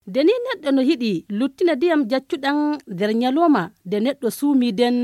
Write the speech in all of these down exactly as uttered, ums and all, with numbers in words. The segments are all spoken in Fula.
Nde ni neɗɗo no yiɗi luttina ndiyam jaccuɗam nder ñalawma, nde neɗɗo suumii nden,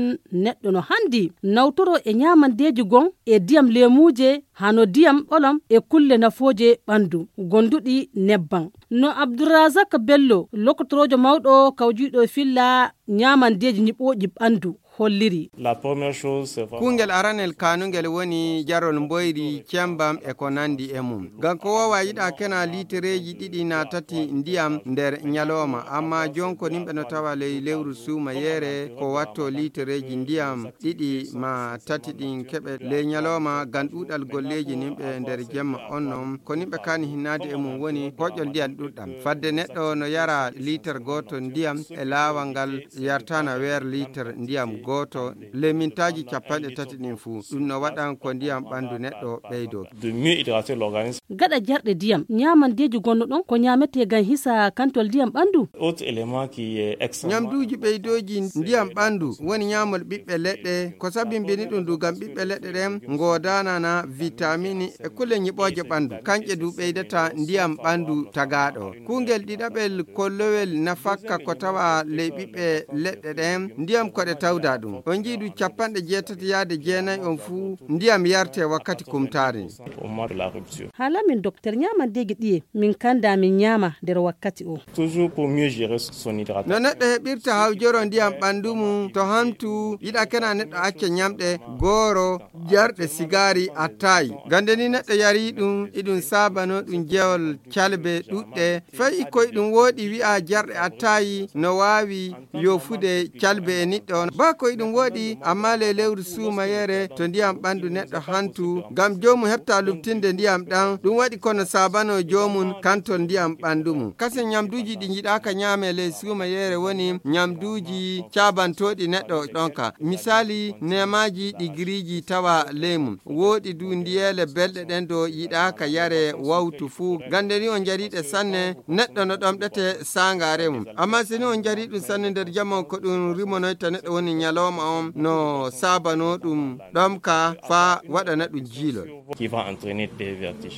neɗɗo no hanndi nawtoroo e ñaamandeeji gon e ndiyam leemuuje, hano ndiyam ɓolom e kulle nafooje ɓanndu gonduɗi nebbam. No Abdourazak Bello, lokotoroojo mawɗo kawjiiɗo e filla ñaamandeeji ñiɓooji ɓanndu, holliri. La première chose, c'est vraiment Kuungel aranel kaanungel woni jarol mboyri, cembam e ko nandi e mum. Ngam ko woowa yiɗa kena liitereeji ɗiɗi naa tati ndiyam nder ñalawma, amma jon ko nimɓe no tawa ley lewru suumayeere ko watto liitereeji ndiyam ɗiɗi maa tati ɗin keɓe ley ñalawma, ngam ɗuuɗal golleeji nimɓe nder jemma on non. Ko nimɓe kaani hinnaade e mum woni koƴol ndiyam ɗuɗɗam. Fadde neɗɗo no yara liitar gooto ndiyam e laawal ngal yartana weer liitar ndiyam gooto ley mintaaji capanɗe tati ɗin fuu. Ɗum no waɗan ko ndiyam ɓanndu neɗɗo ɓeydoo. De mieux hydrater l'organisme. Gaɗa jarɗe ndiyam, ñaamandeeji gonno ɗon ko ñaametee ngam hisa kantol ndiyam ɓanndu? Autre élément qui est extrêmement Ñamduuji ɓeydooji ndiyam ɓanndu woni ñaamol ɓiɓɓe leɗɗe. Ko sabimbini ɗum du ngam ɓiɓɓe leɗɗe ɗen ngoodanana vitamini e kulle ñiɓooje ɓanndu. Kanƴe du ɓeydata ndiyam ɓanndu tagaaɗo. Kuungel ɗiɗaɓel kollowel nafakka ko tawa ley ɓiɓɓe leɗɗe ɗen, ndiyam ko ɗe tawda ɗum. On njii du capanɗe jeetati yaade jeenayi on fuu ndiyam yarte wakkati kumtaari. Au moment de la rupture. Haala min doktor ñaamandeeji ɗiye min kanda min ñaama nder wakkati o. Toujours pour mieux gérer son hydratation. No neɗɗo heɓirta hawjoro ndiyam ɓanndu mum to hantu yiɗa kena neɗɗo acca ñamɗe gooro, jarɗe sigaari, attaayi. Gande ni neɗɗo yari ɗum, iɗum saabano ɗum jewol calbe ɗuɗɗe. Fay ko iɗum wooɗi wi'a jarɗe attaayi no waawi yofude calbe e niɗɗo on. Baa ko iɗum wooɗi, amma ley lewru suumayeere to ndiyam ɓanndu neɗɗo hantu, ngam joomum heɓta luɓtinde ndiyam ɗam, ɗum waɗi kono saabano joomum kantol ndiyam ɓanndu mum. Kasen ñamduuji ɗi njiɗaaka ñaame ley suumayeere woni ñamduuji caabantooɗi neɗɗo ɗonka. Misaali, neemaaji ɗi giriiji tawa ley mum. Wooɗi du ndiyeele belɗe ɗen do yiɗaaka yare wawtu fuu. Gande ni on njariɗe sanne, neɗɗo no ɗomɗete saangaare mum. Amma si ni on njari ɗum sanne nder jamma on, ko ɗum rimonoyta neɗɗo woni ñalawma on, no saabano ɗum ɗomka faa waɗana ɗum jiilol. Qui va entraîner des vertiges.